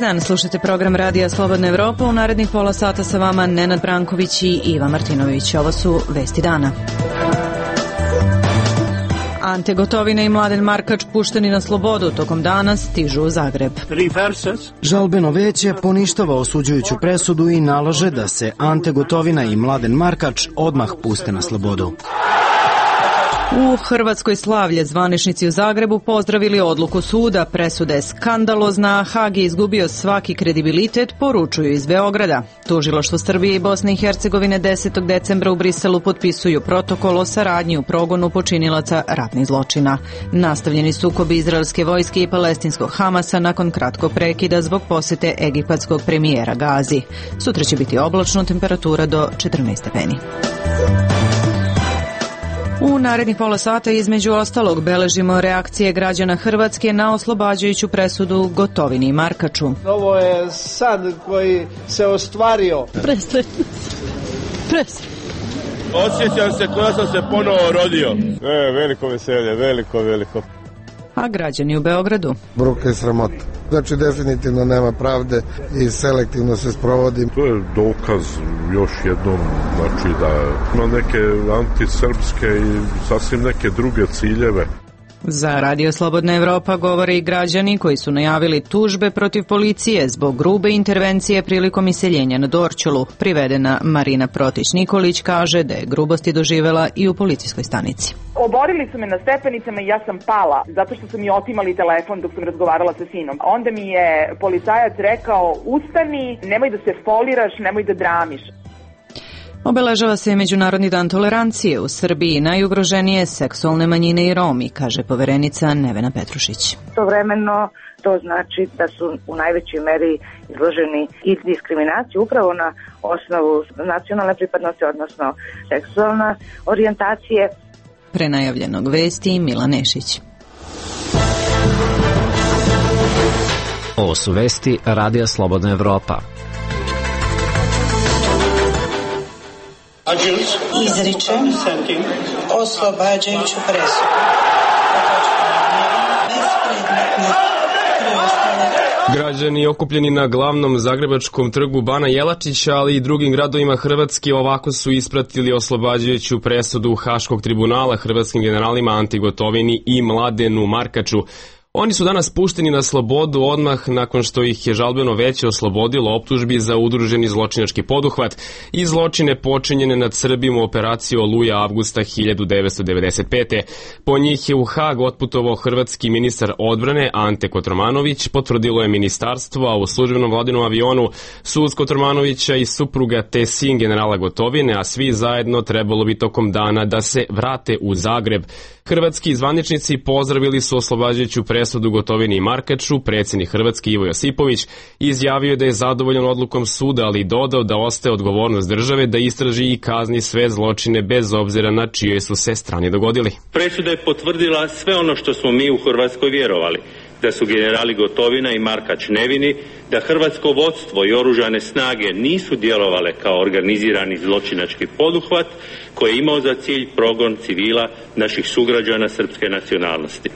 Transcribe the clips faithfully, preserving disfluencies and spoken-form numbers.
dan, slušate program Radija Slobodna Evropa. U narednih pola sata sa vama Nenad Branković i Iva Martinović. Ovo su vesti dana. Ante Gotovina i Mladen Markač pušteni na slobodu tokom dana stižu u Zagreb. Žalbeno veće poništava osuđujuću presudu i nalaže da se Ante Gotovina i Mladen Markač odmah puste na slobodu. U Hrvatskoj slavlje zvaničnici u Zagrebu pozdravili odluku suda. Presuda je skandalozna, a Hag je izgubio svaki kredibilitet, poručuju iz Beograda. Tužilaštvo Srbije i Bosne i Hercegovine desetog decembra u Briselu potpisuju protokol o saradnji u progonu počinilaca ratnih zločina. Nastavljeni sukobi izraelske vojske i palestinskog Hamasa nakon kratkog prekida zbog posete egipatskog premijera Gazi. Sutra će biti oblačno, temperatura do četrnaest stepeni. U narednih pola sata između ostalog beležimo reakcije građana Hrvatske na oslobađajuću presudu Gotovini i Markaču. Ovo je san koji se ostvario. Presretno. Presretno. Osjećam se koja sam se ponovo rodio. E, veliko veselje, veliko, veliko. A građani u Beogradu? Bruka i sramota. Znači definitivno nema pravde i selektivno se sprovodi. To je dokaz još jednom, znači da ima neke antisrpske i sasvim neke druge ciljeve. Za Radio Slobodna Evropa govore i građani koji su najavili tužbe protiv policije zbog grube intervencije prilikom iseljenja na Dorćolu. Privedena Marina Protić-Nikolić kaže da je grubosti doživela i u policijskoj stanici. Oborili su me na stepenicama i ja sam pala zato što su mi otimali telefon dok sam razgovarala sa sinom. Onda mi je policajac rekao: ustani, nemoj da se foliraš, nemoj da dramiš. Obeležava se Međunarodni dan tolerancije. U Srbiji najugroženije seksualne manjine i Romi, kaže poverenica Nevena Petrušić. Istovremeno to znači da su u najvećoj meri izloženi i diskriminaciji upravo na osnovu nacionalne pripadnosti, odnosno seksualne orijentacije. Prenajavljenog vesti Mila Nešić. Ovo su vesti Radija Slobodna Evropa. Izričem oslobađajuću presudu. Građani okupljeni na glavnom zagrebačkom trgu Bana Jelačića, ali i drugim gradovima Hrvatske ovako su ispratili oslobađajuću presudu Haškog tribunala hrvatskim generalima Anti Gotovini i Mladenu Markaču. Oni su danas pušteni na slobodu odmah nakon što ih je žalbeno veće oslobodilo optužbi za udruženi zločinački poduhvat i zločine počinjene nad Srbima u operaciji Oluja avgusta hiljadu devetsto devedeset pete. Po njih je u Hag otputovao hrvatski ministar odbrane Ante Kotromanović, potvrdilo je ministarstvo, a u službenom vladinom avionu sud Kotromanovića i supruga te sin generala Gotovine, a svi zajedno trebalo bi tokom dana da se vrate u Zagreb. Hrvatski zvaničnici pozdravili su oslobađajuću presudu Gotovini i Markaču. Predsjednik Hrvatske Ivo Josipović izjavio da je zadovoljan odlukom suda, ali dodao da ostaje odgovornost države da istraži i kazni sve zločine bez obzira na čijoj su se strani dogodili. Presuda je potvrdila sve ono što smo mi u Hrvatskoj vjerovali, da su generali Gotovina i Markač nevini, da hrvatsko vodstvo i oružane snage nisu djelovale kao organizirani zločinački poduhvat koji je imao za cilj progon civila naših sugrađana srpske nacionalnosti.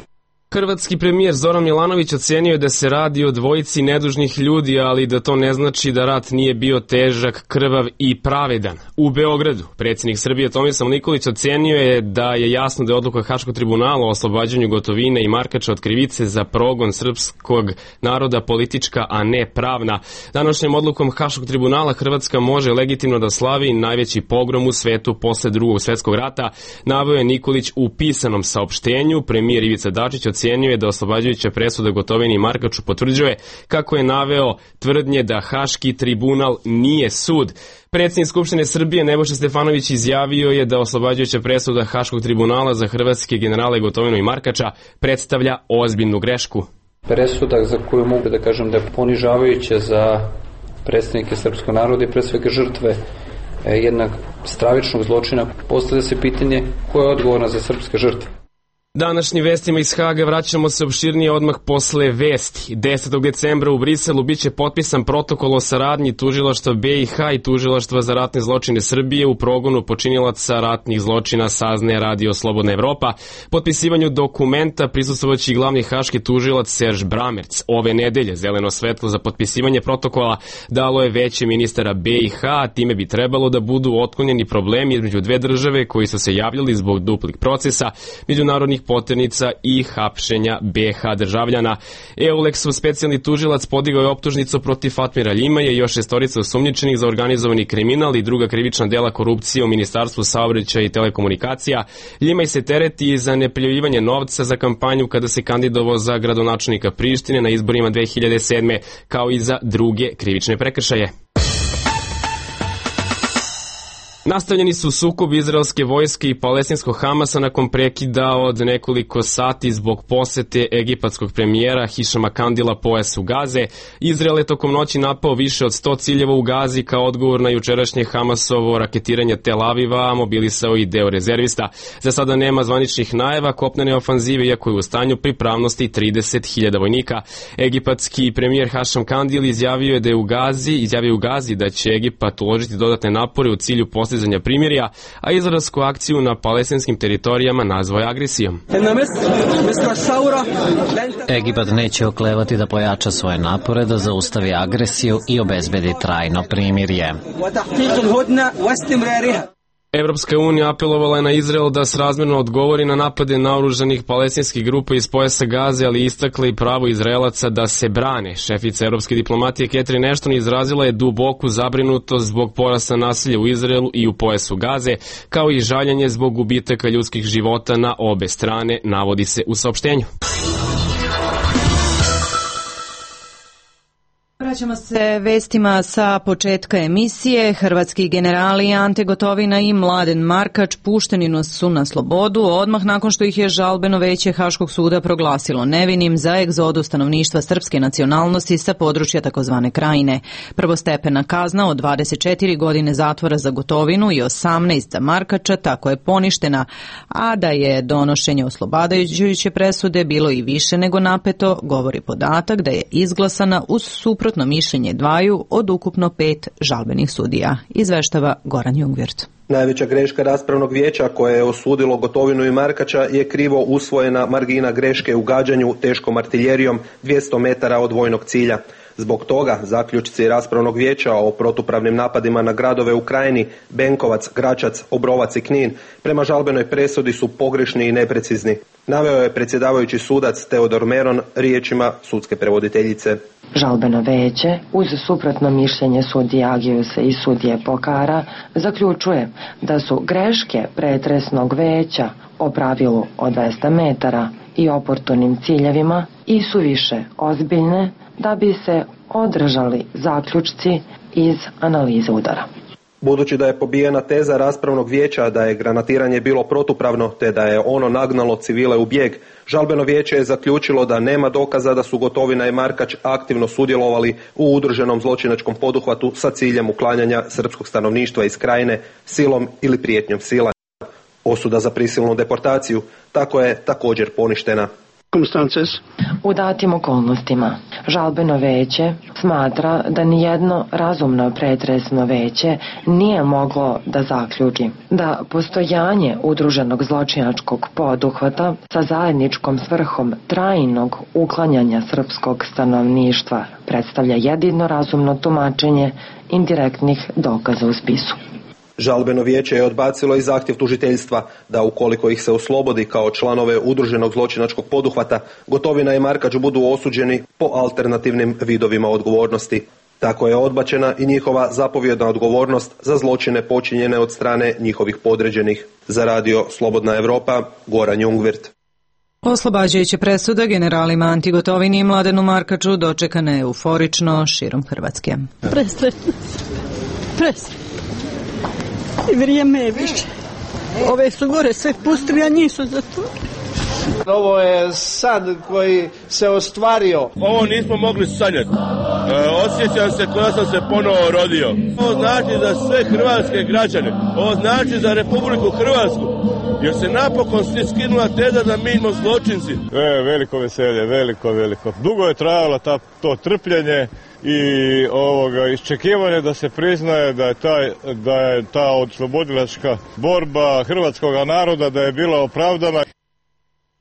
Hrvatski premijer Zoran Milanović ocenio je da se radi o dvojici nedužnih ljudi, ali da to ne znači da rat nije bio težak, krvav i pravedan. U Beogradu predsjednik Srbije Tomislav Nikolić ocenio je da je jasno da je odluka Haškog tribunala o oslobađanju Gotovine i Markača od krivice za progon srpskog naroda politička, a ne pravna. Današnjom odlukom Haškog tribunala Hrvatska može legitimno da slavi najveći pogrom u svetu posle Drugog svjetskog rata, naveo je Nikolić u pisanom saopštenju. Premijer Ivica Dačić ocenio je da oslobađajuća presuda Gotovini i Markaču potvrđuje, kako je naveo, tvrdnje da Haški tribunal nije sud. Predsjednik Skupštine Srbije Nebojša Stefanović izjavio je da oslobađajuća presuda Haškog tribunala za hrvatske generale Gotovinu i Markača predstavlja ozbiljnu grešku. Presuda za koju mogu da kažem da je ponižavajuća za predstavnike srpskog naroda i pre svega žrtve jednog stravičnog zločina. Postavlja se pitanje ko je odgovorna za srpske žrtve. Današnjim vestima iz Haga vraćamo se opširnije odmah posle vesti. desetog decembra u Briselu biće potpisan protokol o saradnji tužilaštva be i ha i tužilaštva za ratne zločine Srbije u progonu počinilaca ratnih zločina, saznaje Radio Slobodna Evropa. Potpisivanju dokumenta prisustvovaće i glavni haški tužilac Serž Bramerc. Ove nedelje zeleno svetlo za potpisivanje protokola dalo je veće ministara be i ha, a time bi trebalo da budu otklonjeni problemi između dve države koji su se javljali zbog duplih procesa, međunarodnih poternica i hapšenja be ha državljana. Eulexov specijalni tužilac podigao je optužnicu protiv Fatmira Ljimaja i još šestorica osumnjičenih za organizovani kriminal i druga krivična dela korupcije u Ministarstvu saobraćaja i telekomunikacija. Ljimaj se tereti za neprijavljivanje novca za kampanju kada se kandidovao za gradonačelnika Prištine na izborima dve hiljade sedme, kao i za druge krivične prekršaje. Nastavljeni su sukobi izraelske vojske i palestinskog Hamasa nakon prekida od nekoliko sati zbog posete egipatskog premijera Hišama Kandila pojasu Gaze. Izrael je tokom noći napao više od sto ciljeva u Gazi kao odgovor na jučerašnje Hamasovo raketiranje Tel Aviva, a mobilisao i deo rezervista. Za sada nema zvaničnih najava kopnene ofanzive, iako je u stanju pripravnosti trideset hiljada vojnika. Egipatski premijer Hišam Kandil izjavio je da je u Gazi, izjavio u Gazi da će Egipat uložiti dodatne napore u cilju postizanja primirja, a izraelsku akciju na palestinskim teritorijama nazvao je agresijom. Egipat neće oklevati da pojača svoje napore da zaustavi agresiju i obezbedi trajno primirje. Evropska unija apelovala je na Izrael da srazmerno odgovori na napade naoružanih palestinskih grupa iz pojasa Gaze, ali istakla i pravo Izraelaca da se brane. Šefica evropske diplomatije Catherine Ashton izrazila je duboku zabrinutost zbog porasta nasilja u Izraelu i u pojasu Gaze, kao i žaljenje zbog gubitaka ljudskih života na obe strane, navodi se u saopštenju. Vraćamo se vestima sa početka emisije. Hrvatski generali Ante Gotovina i Mladen Markač pušteni su na slobodu odmah nakon što ih je žalbeno veće Haškog suda proglasilo nevinim za egzodu stanovništva srpske nacionalnosti sa područja takozvane Krajine. Prvostepena kazna od dvadeset četiri godine zatvora za Gotovinu i osamnaest za Markača tako je poništena, a da je donošenje oslobađajuće presude bilo i više nego napeto, govori podatak da je izglasana uz suprotno mišljenje dvaju od ukupno pet žalbenih sudija, izveštava Goran Jungwirth. Najveća greška raspravnog vijeća koje je osudilo Gotovinu i Markača je krivo usvojena margina greške u gađanju teškom artiljerijom dvjesto metara od vojnog cilja. Zbog toga zaključci raspravnog vijeća o protupravnim napadima na gradove u Krajini, Benkovac, Gračac, Obrovac i Knin prema žalbenoj presudi su pogrešni i neprecizni. Naveo je predsjedavajući sudac Teodor Meron riječima sudske prevoditeljice. Žalbeno veće, uz suprotno mišljenje sudije Agijusa i sudije Pokara, zaključuje da su greške pretresnog veća o pravilu od dvesta metara i oportunim ciljevima i su više ozbiljne da bi se održali zaključci iz analize udara. Budući da je pobijena teza raspravnog vijeća da je granatiranje bilo protupravno te da je ono nagnalo civile u bijeg, žalbeno vijeće je zaključilo da nema dokaza da su Gotovina i Markač aktivno sudjelovali u udruženom zločinačkom poduhvatu sa ciljem uklanjanja srpskog stanovništva iz Krajine silom ili prijetnjom sila. Osuda za prisilnu deportaciju tako je također poništena. U datim okolnostima, žalbeno veće smatra da nijedno razumno pretresno veće nije moglo da zaključi da postojanje udruženog zločinačkog poduhvata sa zajedničkom svrhom trajnog uklanjanja srpskog stanovništva predstavlja jedino razumno tumačenje indirektnih dokaza u spisu. Žalbeno vijeće je odbacilo i zahtjev tužiteljstva da ukoliko ih se oslobodi kao članove udruženog zločinačkog poduhvata, Gotovina i Markač budu osuđeni po alternativnim vidovima odgovornosti. Tako je odbačena i njihova zapovjedna odgovornost za zločine počinjene od strane njihovih podređenih. Za Radio Slobodna Evropa, Goran Jungwirth. Oslobađajuća presuda generalima Anti Gotovini i Mladenu Markaču dočekana je euforično širom Hrvatske. Presretno. Presretno. I vrijeme je više. Ove su gore sve pustili, a njih su zatvorili. Ovo je san koji se ostvario. Ovo nismo mogli sanjati. E, osjećam se kao da sam se ponovo rodio. Ovo znači za sve hrvatske građane. Ovo znači za Republiku Hrvatsku. Jer se napokon skinula teza da mi smo zločinci. E, veliko veselje, veliko, veliko. Dugo je trajalo ta, to trpljenje i ovoga iščekivanje da se priznaje da je, taj, da je ta oslobodilačka borba hrvatskog naroda da je bila opravdana.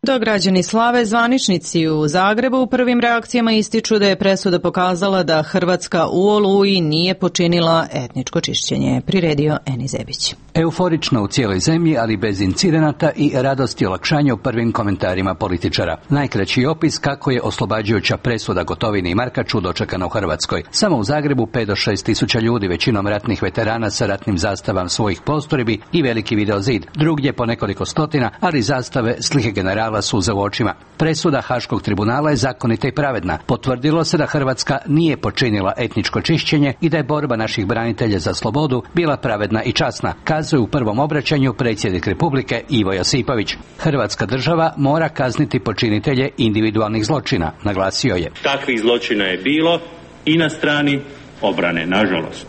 Dok građani slave, zvaničnici u Zagrebu u prvim reakcijama ističu da je presuda pokazala da Hrvatska u Oluji nije počinila etničko čišćenje, priredio Eni Zebić. Euforično u cijeloj zemlji, ali bez incidenata i radosti i olakšanja u prvim komentarima političara. Najkraći opis kako je oslobađajuća presuda Gotovini i Markaču dočekana u Hrvatskoj. Samo u Zagrebu pet do šest tisuća ljudi, većinom ratnih veterana sa ratnim zastavama svojih postrojbi i veliki videozid. Drugdje po nekoliko stotina, ali zastave, slike generala, suza u očima. Presuda Haškog tribunala je zakonita i pravedna. Potvrdilo se da Hrvatska nije počinila etničko čišćenje i da je borba naših branitelja za slobodu bila pravedna i časna, kazuje u prvom obraćanju predsjednik Republike Ivo Josipović. Hrvatska država mora kazniti počinitelje individualnih zločina, naglasio je. Takvih zločina je bilo i na strani obrane, nažalost.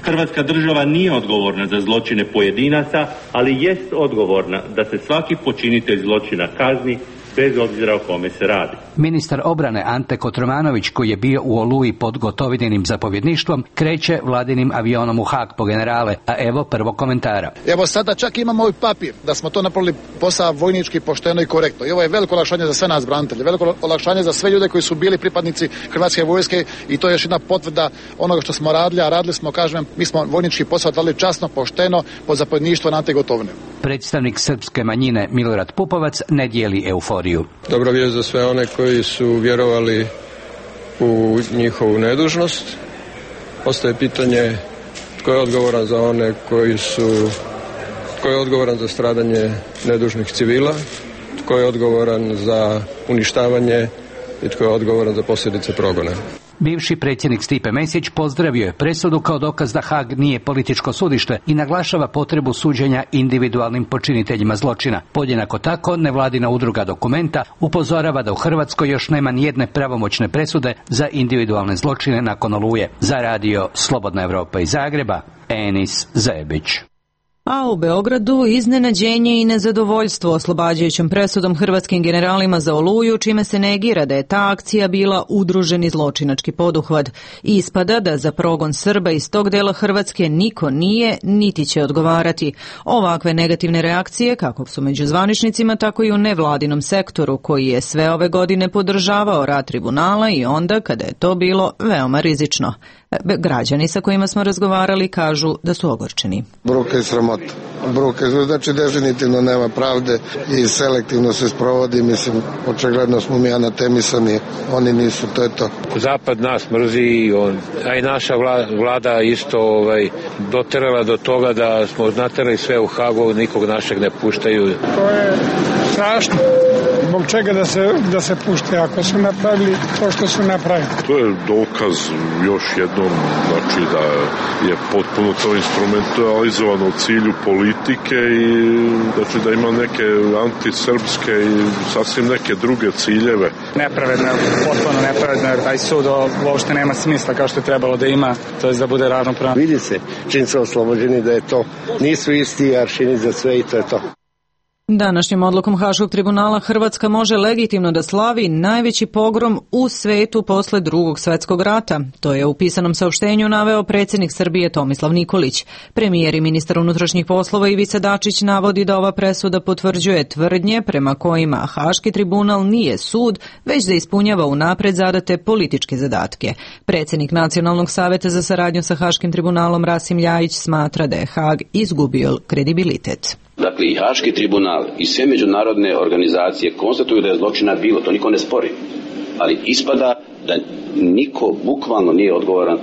Hrvatska država nije odgovorna za zločine pojedinaca, ali jest odgovorna da se svaki počinitelj zločina kazni bez obzira o kome se radi. Ministar obrane Ante Kotromanović, koji je bio u Oluji pod Gotovininim zapovjedništvom, kreće vladinim avionom u Haag po generale, a evo prvo komentara. Evo sada čak imamo ovaj papir da smo to napravili posao vojnički, pošteno i korektno. I ovo je veliko olakšanje za sve nas branitelje, veliko olakšanje za sve ljude koji su bili pripadnici Hrvatske vojske i to je još jedna potvrda onoga što smo radili, a radili smo, kažem, mi smo vojnički posao dali časno, pošteno, pod zapovjedništvom Ante Gotovine. Predstavnik srpske manjine Milorad Pupovac ne dijeli euforiju. Dobra vijest za sve one koji su vjerovali u njihovu nedužnost. Ostaje pitanje tko je odgovoran za one koji su, tko je odgovoran za stradanje nedužnih civila, tko je odgovoran za uništavanje i tko je odgovoran za posljedice progona. Bivši predsjednik Stipe Mesić pozdravio je presudu kao dokaz da Haag nije političko sudište i naglašava potrebu suđenja individualnim počiniteljima zločina. Podjednako tako, nevladina udruga Dokumenta upozorava da u Hrvatskoj još nema nijedne pravomoćne presude za individualne zločine nakon Oluje. Za radio Slobodna Evropa iz Zagreba, Enis Zebić. A u Beogradu iznenađenje i nezadovoljstvo oslobađajućom presudom hrvatskim generalima za Oluju, čime se negira da je ta akcija bila udruženi zločinački poduhvat. Ispada da za progon Srba iz tog dela Hrvatske niko nije, niti će odgovarati. Ovakve negativne reakcije, kako su među zvaničnicima, tako i u nevladinom sektoru, koji je sve ove godine podržavao rad tribunala i onda kada je to bilo veoma rizično. Građani sa kojima smo razgovarali kažu da su ogorčeni. Bruka i sramota. Bruka, znači definitivno nema pravde i selektivno se sprovodi, mislim, očigledno smo mi anatemisani, oni nisu, to je to. Zapad nas mrzi, on, a i naša vlada isto ovaj, doterala do toga da smo naterali sve u Hagu, nikog našeg ne puštaju. To je strašno. Zbog čega da se, da se pušte ako su napravili to što su napravili. To je dokaz još jednom, znači da je potpuno to instrumentalizovano u cilju politike i znači da ima neke antisrpske i sasvim neke druge ciljeve. Nepravedno, potpuno nepravedno, jer taj sud uopšte nema smisla kao što je trebalo da ima, to je da bude ravnopravan. Vidi se, čim su oslobođeni da je to, nisu isti aršini za sve i to je to. Današnjom odlukom Haškog tribunala Hrvatska može legitimno da slavi najveći pogrom u svetu posle Drugog svjetskog rata. To je u pisanom saopštenju naveo predsjednik Srbije Tomislav Nikolić. Premijer i ministar unutrašnjih poslova Ivica Dačić navodi da ova presuda potvrđuje tvrdnje prema kojima Haški tribunal nije sud, već da ispunjava unapred zadate političke zadatke. Predsjednik Nacionalnog saveta za saradnju sa Haškim tribunalom Rasim Ljajić smatra da je Haag izgubio kredibilitet. Dakle, i Haški tribunal i sve međunarodne organizacije konstatuju da je zločina bilo, to niko ne spori. Ali ispada da niko bukvalno nije odgovoran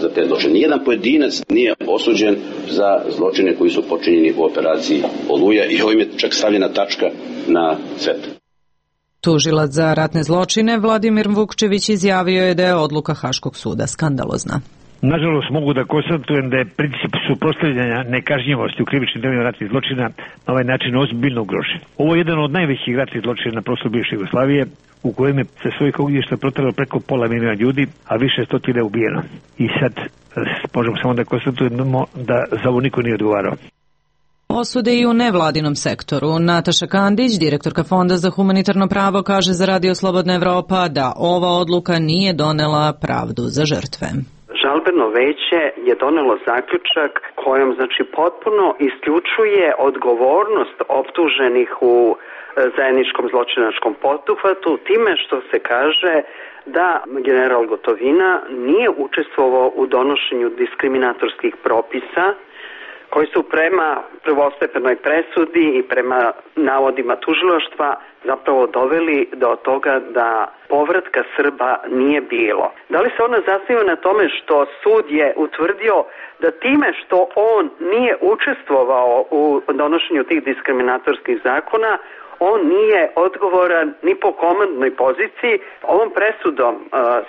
za te zločine. Nijedan pojedinac nije osuđen za zločine koji su počinjeni u operaciji Oluja i ovim je čak stavljena tačka na sve. Tužilac za ratne zločine Vladimir Vukčević izjavio je da je odluka Haškog suda skandalozna. Nažalost, mogu da konstatujem da je princip suprotstavljanja nekažnjivosti u krivičnim delima ratnih zločina na ovaj način ozbiljno ugrožen. Ovo je jedan od najvećih ratnih zločina na prostoru bivše Jugoslavije, u kojem je se svojih ognjišta protralo preko pola miliona ljudi, a više stotine je ubijeno. I sad možemo samo da konstatujemo da za ovo niko nije odgovarao. Osude i u nevladinom sektoru. Nataša Kandić, direktorka Fonda za humanitarno pravo, kaže za Radio Slobodna Evropa da ova odluka nije donela pravdu za žrtve. Žalbeno veće je donelo zaključak kojom znači potpuno isključuje odgovornost optuženih u zajedničkom zločinačkom poduhvatu time što se kaže da general Gotovina nije učestvovao u donošenju diskriminatorskih propisa koji su prema prvostepenoj presudi i prema navodima tužilaštva zapravo doveli do toga da povratka Srba nije bilo. Da li se ona zasniva na tome što sud je utvrdio da time što on nije učestvovao u donošenju tih diskriminatorskih zakona, on nije odgovoran ni po komandnoj poziciji. Ovom presudom uh,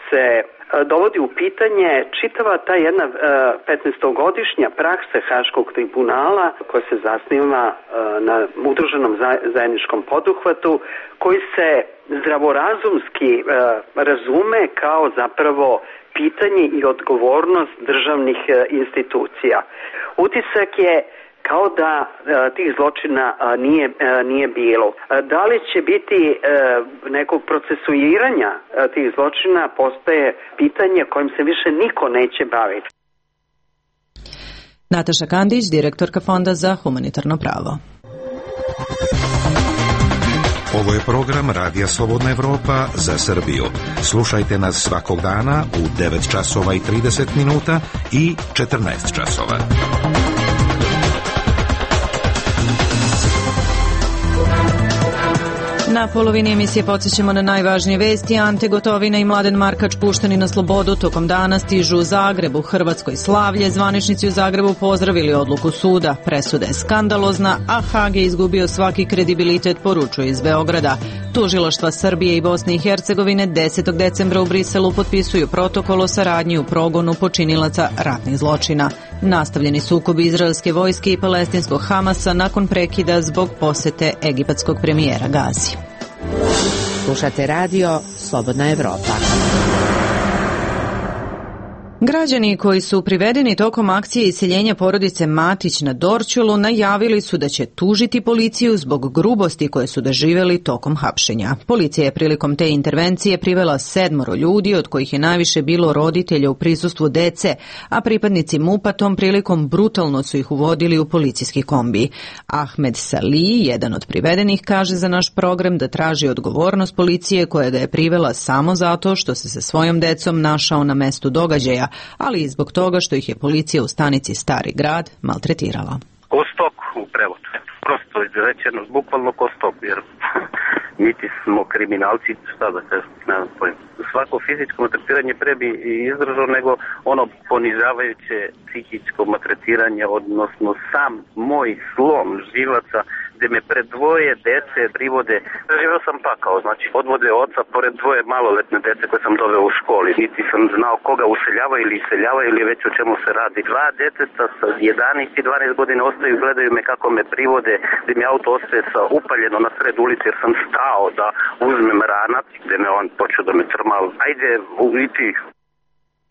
se uh, dovodi u pitanje čitava ta jedna uh, petnaestogodišnja praksa Haškog tribunala koja se zasniva uh, na udruženom zajedničkom poduhvatu koji se zdravorazumski uh, razume kao zapravo pitanje i odgovornost državnih uh, institucija. Utisak je kao da e, tih zločina a, nije, a, nije bilo. A, da li će biti e, nekog procesuiranja a, tih zločina postaje pitanje kojim se više niko neće baviti. Nataša Kandić, direktorka Fonda za humanitarno pravo. Ovo je program Radija Slobodna Evropa za Srbiju. Slušajte nas svakog dana u devet časova i trideset minuta i četrnaest časova. Na polovini emisije podsjećamo na najvažnije vesti. Ante Gotovina i Mladen Markač pušteni na slobodu tokom dana stižu u Zagreb. U Hrvatskoj slavlje. Zvaničnici u Zagrebu pozdravili odluku suda. Presuda je skandalozna, a Hag je izgubio svaki kredibilitet, poručuje iz Beograda. Tužilaštva Srbije i Bosne i Hercegovine desetog decembra u Briselu potpisuju protokol o saradnji u progonu počinilaca ratnih zločina. Nastavljeni sukobi izraelske vojske i palestinskog Hamasa nakon prekida zbog posete egipatskog premijera Gazi. Slušate radio Slobodna Evropa. Građani koji su privedeni tokom akcije iseljenja porodice Matić na Dorćolu najavili su da će tužiti policiju zbog grubosti koje su doživjeli tokom hapšenja. Policija je prilikom te intervencije privela sedmoro ljudi, od kojih je najviše bilo roditelja u prisustvu dece, a pripadnici MUP-a tom prilikom brutalno su ih uvodili u policijski kombi. Ahmed Salih, jedan od privedenih, kaže za naš program da traži odgovornost policije koja ga je privela samo zato što se sa svojom decom našao na mestu događaja, ali i zbog toga što ih je policija u stanici Stari grad maltretirala. Ko stok u prevodu. Prosto izrečeno, bukvalno ko stok, jer niti smo kriminalci, šta da kažem, ne znam pojma. Svako fizičko maltretiranje pre bi izdržao nego ono ponižavajuće psihičko maltretiranje, odnosno sam moj slom živaca gde me pred dvoje dece privode. Živeo sam pakao, znači odvode oca pored dvoje maloletne dece koje sam doveo u školi. Niti sam znao koga useljavaju ili iseljavaju ili već o čemu se radi. Dva deteta sa jedanaest i dvanaest godina ostaju i gledaju me kako me privode, gde mi auto ostaje sa upaljeno na sred ulici jer sam stao da uzmem ranac, gde me on počeo da me trmal. Ajde, uviti.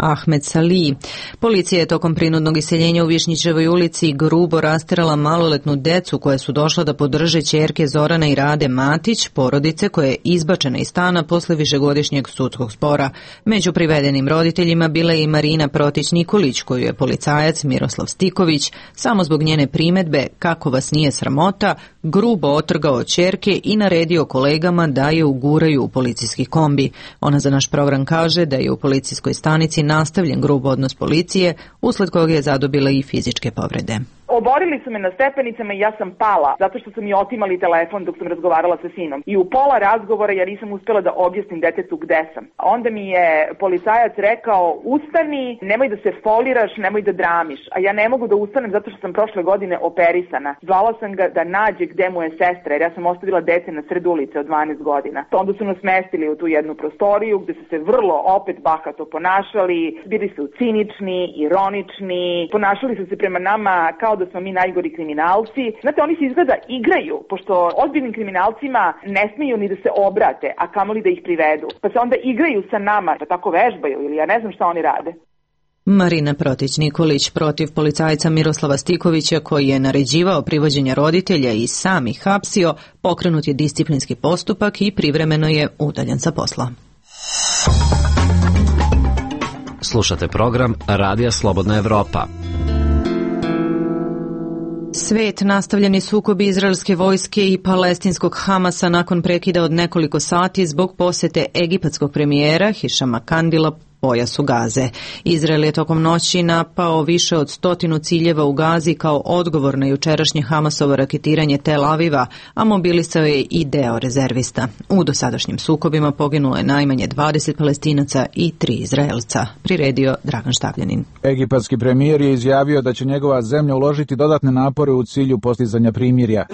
Ahmed Salih. Policija je tokom prinudnog iseljenja u Višnjićevoj ulici grubo rasterala maloletnu decu koja su došla da podrže ćerke Zorana i Rade Matić, porodice koja je izbačena iz stana posle višegodišnjeg sudskog spora. Među privedenim roditeljima bila je i Marina Protić-Nikolić, koju je policajac Miroslav Stiković, samo zbog njene primetbe kako vas nije sramota, grubo otrgao ćerke i naredio kolegama da je uguraju u policijski kombi. Ona za naš program kaže da je u policijskoj stanici nastavljen grub odnos policije, usled koga je zadobila i fizičke povrede. Oborili su me na stepenicama i ja sam pala, zato što su mi otimali telefon dok sam razgovarala sa sinom. I u pola razgovora ja nisam uspela da objasnim detetu gde sam. Onda mi je policajac rekao, ustani, nemoj da se foliraš, nemoj da dramiš. A ja ne mogu da ustanem zato što sam prošle godine operisana. Zvala sam ga da nađe gde mu je sestra, jer ja sam ostavila dete na sred ulice od dvanaest godina. Onda su nas smestili u tu jednu prostoriju gde su se vrlo opet bahato ponašali, bili su cinični, ironični, ponašali su se prema nama kao da smo mi najgori kriminalci. Znate, oni se izgleda igraju, pošto ozbiljnim kriminalcima ne smiju ni da se obrate, a kamoli da ih privedu. Pa se onda igraju sa nama, pa tako vežbaju ili ja ne znam šta oni rade. Marina Protić-Nikolić protiv policajca Miroslava Stikovića, koji je naređivao privođenje roditelja i sam ih hapsio, pokrenut je disciplinski postupak i privremeno je udaljen sa posla. Slušate program Radija Slobodna Evropa. Svet, nastavljeni sukobi izraelske vojske i palestinskog Hamasa nakon prekida od nekoliko sati zbog posete egipatskog premijera Hišama Kandila pojasu Gaze. Izrael je tokom noći napao više od stotinu ciljeva u Gazi kao odgovor na jučerašnje Hamasovo raketiranje Tel Aviva, a mobilisao je i deo rezervista. U dosadašnjim sukobima poginulo je najmanje dvadeset Palestinaca i tri Izraelca, priredio Dragan Štavljanin. Egipatski premijer je izjavio da će njegova zemlja uložiti dodatne napore u cilju postizanja primirja.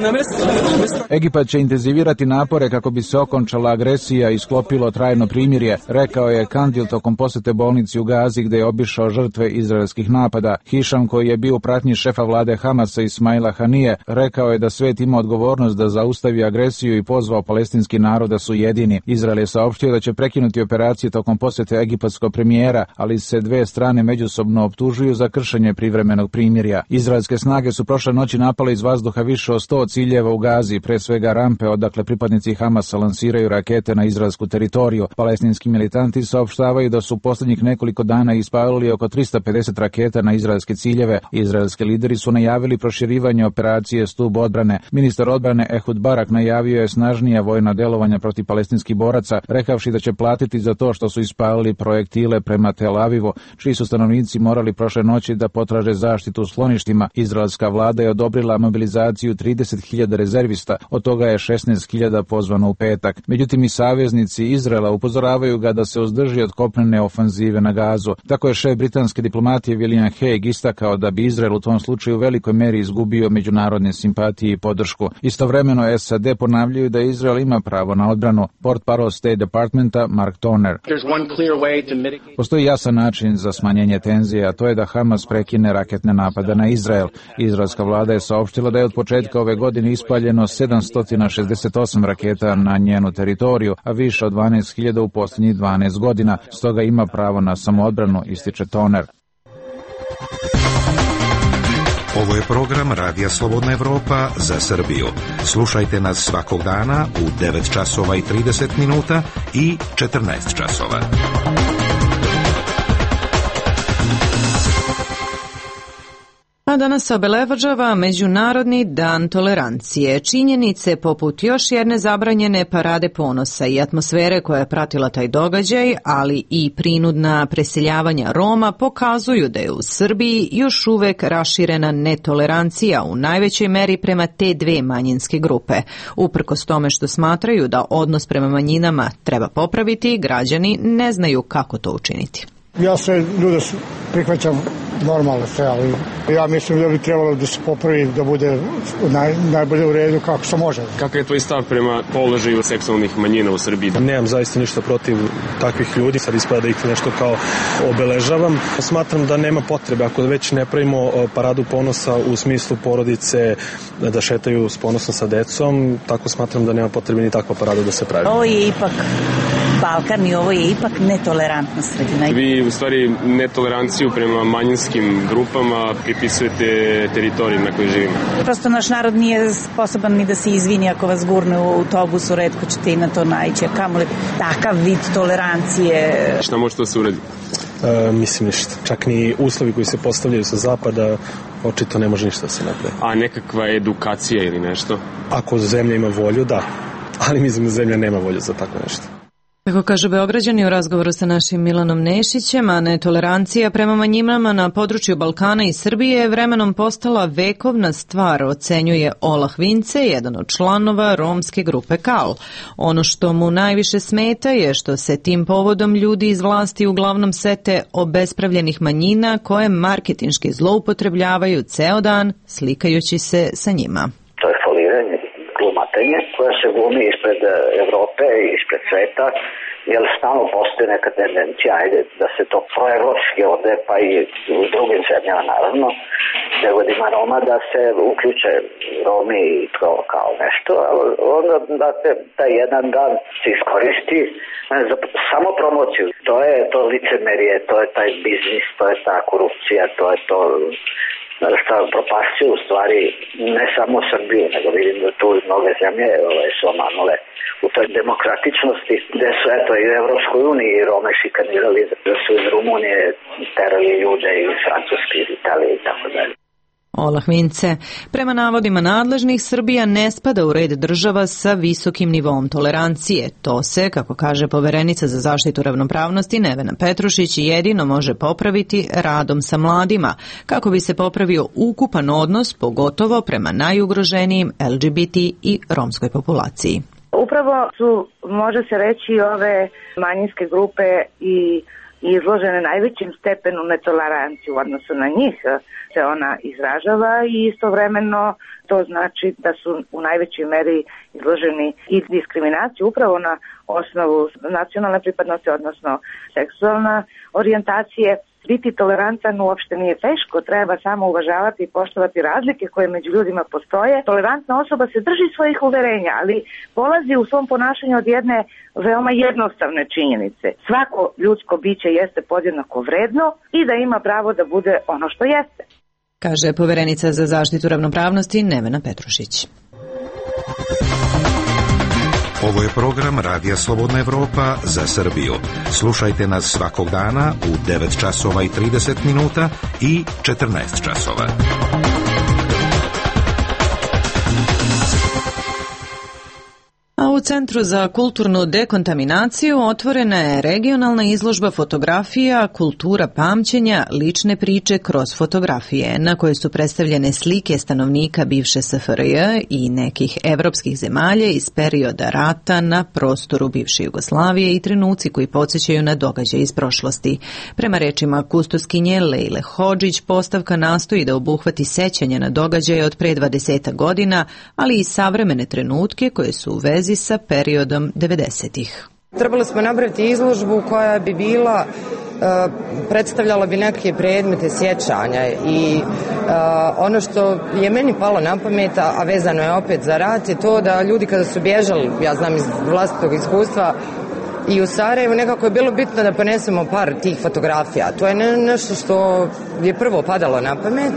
Egipat će intenzivirati napore kako bi se okončala agresija i sklopilo trajno primirje, rekao je Kandil tokom posete bolnici u Gazi gde je obišao žrtve izraelskih napada. Hišam, koji je bio u pratnji šefa vlade Hamasa Ismaila Hanije, rekao je da svet ima odgovornost da zaustavi agresiju i pozvao palestinski narod da su jedini. Izrael je saopštio da će prekinuti operacije tokom posete egipatskog premijera, ali se dve strane međusobno optužuju za kršenje privremenog primirja. Izraelske snage su prošle noći napale iz vazduha više od sto ciljeva u Gazi, pre svega rampe odakle pripadnici Hamasa lansiraju rakete na izraelsku teritoriju. Palestinski militanti saopštavaju da su poslednjih nekoliko dana ispalili oko trista pedeset raketa na izraelske ciljeve. Izraelski lideri su najavili proširivanje operacije Stub odbrane. Ministar odbrane Ehud Barak najavio je snažnija vojna delovanja protiv palestinskih boraca, rekavši da će platiti za to što su ispalili projektile prema Tel Avivu, čiji su stanovnici morali prošle noći da potraže zaštitu u skloništima. Izraelska vlada je odobrila mobilizaciju trideset hiljada rezervista, od toga je šesnaest hiljada pozvano u petak. Međutim, i saveznici Izraela upozoravaju ga da se uzdrži od kopnene ofanzive na Gazu. Tako je šef britanske diplomatije William Hague istakao da bi Izrael u tom slučaju u velikoj meri izgubio međunarodne simpatije i podršku. Istovremeno S A D ponavljaju da Izrael ima pravo na odbranu. Portparol State Departmenta Mark Toner. Postoji jasan način za smanjenje tenzije, a to je da Hamas prekine raketne napade na Izrael. Izraelska vlada je saopštila da je od početka ove godine ispaljeno sedamsto šezdeset osam raketa na njenu teritoriju, a više od dvanaest hiljada u posljednjih dvanaest godina. Stoga ima pravo na samoodbranu, ističe Toner. Ovo je program Radija Slobodna Evropa za Srbiju. Slušajte nas svakog dana u devet časova i trideset minuta i četrnaest časova. A danas se obeležava Međunarodni dan tolerancije. Činjenice poput još jedne zabranjene parade ponosa i atmosfere koja je pratila taj događaj, ali i prinudna preseljavanja Roma pokazuju da je u Srbiji još uvek raširena netolerancija u najvećoj meri prema te dve manjinske grupe. Uprkos tome što smatraju da odnos prema manjinama treba popraviti, građani ne znaju kako to učiniti. Ja sve ljude prihvaćam normalno sve, ali ja mislim da bi trebalo da se popravi, da bude naj, najbolje u redu kako se može. Kakav je tvoj stav prema položaju seksualnih manjina u Srbiji? Nemam zaista ništa protiv takvih ljudi, sad ispada da ih nešto kao obeležavam. Smatram da nema potrebe, ako već ne pravimo paradu ponosa u smislu porodice da šetaju s ponosom sa decom, tako smatram da nema potrebe ni takva parada da se pravi. Ovo je ipak Balkan i ovo je ipak netolerantna sredina. Vi u stvari netoleranciju prema manjinskim grupama pripisujete teritoriji na kojoj živimo. Prosto naš narod nije sposoban ni da se izvini ako vas gurne u autobusu, retko ćete i na to naići. Kamoli takav vid tolerancije. Šta može to se uraditi? E, mislim ništa. Čak ni uslovi koji se postavljaju sa zapada očito ne može ništa da se napravi. A nekakva edukacija ili nešto? Ako zemlja ima volju, da. Ali mislim da zemlja nema volju za tako nešto. Kako kaže Beograđani u razgovoru sa našim Milanom Nešićem, a netolerancija prema manjinama na području Balkana i Srbije je vremenom postala vekovna stvar, ocenjuje Olah Vince, jedan od članova romske grupe Kal. Ono što mu najviše smeta je što se tim povodom ljudi iz vlasti uglavnom sete obespravljenih manjina koje marketinški zloupotrebljavaju ceo dan slikajući se sa njima. To je foliranje, glumatenje koje se glumi ispred Evrope i ispred sveta, jer stalno postoji neka tendencija, ajde, da se to proevropski ovde, pa i u drugim zemljama naravno, gde god ima Roma, da se uključe Romi i to kao nešto, ali onda da te taj jedan dan se iskoristi za samo promociju. To je to licemerije, to je taj biznis, to je ta korupcija, to je to šta propasio u stvari ne samo Srbiju, nego vidim da tu mnoge zemlje ovaj, su omanule u toj demokratičnosti, gde su eto i u Evropskoj uniji i Rome šikanirali, da su iz Rumunije terali ljude iz Francuske, iz Italije i tako dalje. Olah Vince. Prema navodima nadležnih, Srbija ne spada u red država sa visokim nivom tolerancije. To se, kako kaže poverenica za zaštitu ravnopravnosti Nevena Petrušić, jedino može popraviti radom sa mladima, kako bi se popravio ukupan odnos, pogotovo prema najugroženijim L G B T i romskoj populaciji. Upravo su, može se reći, ove manjinske grupe i izložene najvećim stepenu netoleranciju u odnosu na njih se ona izražava i istovremeno to znači da su u najvećoj meri izloženi i diskriminaciji upravo na osnovu nacionalne pripadnosti, odnosno seksualna orijentacije. Biti tolerantan uopšte nije teško, treba samo uvažavati i poštovati razlike koje među ljudima postoje. Tolerantna osoba se drži svojih uverenja, ali polazi u svom ponašanju od jedne veoma jednostavne činjenice. Svako ljudsko biće jeste podjednako vredno i da ima pravo da bude ono što jeste. Kaže poverenica za zaštitu ravnopravnosti Nevena Petrušić. Ovo je program Radija Slobodna Evropa za Srbiju. Slušajte nas svakog dana u devet časova i trideset minuta i četrnaest časova. A u Centru za kulturnu dekontaminaciju otvorena je regionalna izložba fotografija Kultura pamćenja, lične priče kroz fotografije, na kojoj su predstavljene slike stanovnika bivše S F R J i nekih evropskih zemalja iz perioda rata na prostoru bivše Jugoslavije i trenuci koji podsjećaju na događaje iz prošlosti. Prema rečima kustoskinje Lejle Hodžić, postavka nastoji da obuhvati sećanje na događaje od pre dvadeset godina, ali i savremene trenutke koje su u vezi sa periodom devedesetih. Trebali smo napraviti izložbu koja bi bila, uh, predstavljala bi neke predmete sjećanja i uh, ono što je meni palo na pamet, a vezano je opet za rat, je to da ljudi kada su bježali, ja znam iz vlastitog iskustva, i u Sarajevu nekako je bilo bitno da ponesemo par tih fotografija. To je ne, nešto što je prvo padalo na pamet.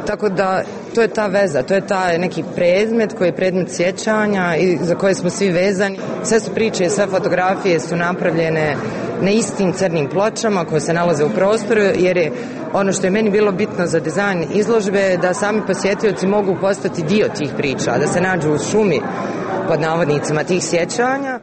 Tako da to je ta veza, to je taj neki predmet koji je predmet sjećanja i za koje smo svi vezani. Sve su priče, sve fotografije su napravljene na istim crnim pločama koje se nalaze u prostoru, jer je ono što je meni bilo bitno za dizajn izložbe da sami posjetioci mogu postati dio tih priča, da se nađu u šumi pod navodnicima tih sjećanja.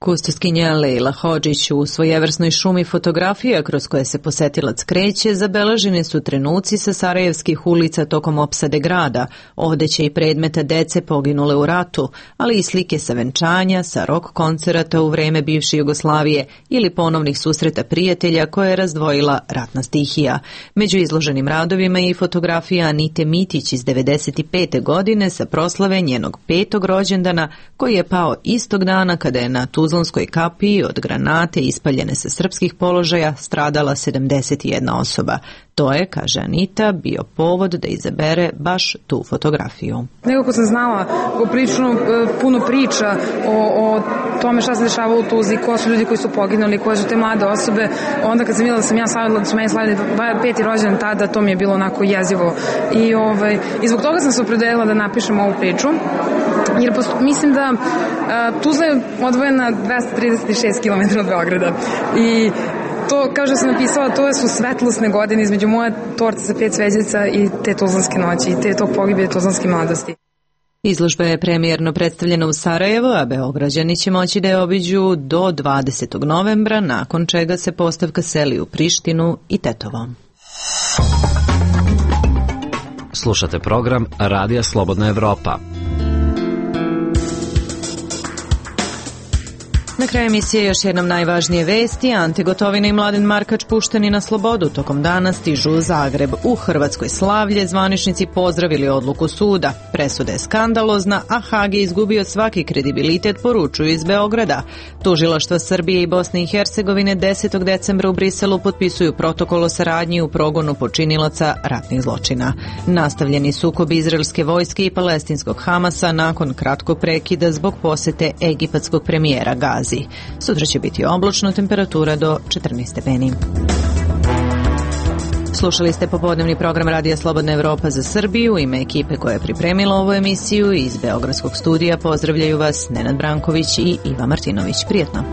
Kustoskinja Lejla Hodžić u svojevrsnoj šumi fotografija kroz koje se posetilac kreće, zabeleženi su trenuci sa sarajevskih ulica tokom opsade grada, odeće i predmeta dece poginule u ratu, ali i slike sa venčanja, sa rock koncerata u vreme bivše Jugoslavije ili ponovnih susreta prijatelja koje je razdvojila ratna stihija. Među izloženim radovima je i fotografija Anite Mitić iz devedeset pete godine sa proslave njenog petog rođendana koji je pao istog dana kada je na Tuzlanskoj kapiji od granate ispaljene sa srpskih položaja stradala sedamdeset jedna osoba. To je, kaže Anita, bio povod da izabere baš tu fotografiju. Nekako sam znala poprilično puno priča o, o tome šta se dešava u Tuzli, ko su ljudi koji su poginuli, koje su te mlade osobe. Onda kad sam vidjela da sam ja slavila, da su meni slavili peti rođendan tada, to mi je bilo onako jezivo. I, ovaj, i zbog toga sam se opredelila da napišem ovu priču. Jer posto, mislim da a, Tuzla je odvojena dvesta trideset šest kilometara od Beograda i to, kao što sam napisala, to su svetlosne godine između moje torte sa pet sveđica i te tuzlanske noći i te tog pogibije tuzlanske mladosti. Izložba je premijerno predstavljena u Sarajevu, a Beograđani će moći da je obiđu do dvadesetog novembra, nakon čega se postavka seli u Prištinu i Tetovo. Slušate program Radija Slobodna Evropa. Na kraju emisije još jednom najvažnije vesti. Ante Gotovina i Mladen Markač pušteni na slobodu tokom dana stižu u Zagreb. U Hrvatskoj slavlje zvaničnici pozdravili odluku suda. Presuda je skandalozna, a Hag je izgubio svaki kredibilitet, poručuju iz Beograda. Tužilaštva Srbije i Bosne i Hercegovine desetog decembra u Briselu potpisuju protokol o saradnji u progonu počinilaca ratnih zločina. Nastavljeni sukob izraelske vojske i palestinskog Hamasa nakon kratkog prekida zbog posete egipatskog premijera Gazi. Sutra će biti oblačno, temperatura do četrnaest stepeni. Slušali ste popodnevni program Radija Slobodna Evropa za Srbiju. U ime ekipe koja je pripremila ovu emisiju iz Beogradskog studija pozdravljaju vas Nenad Branković i Iva Martinović. Prijetno.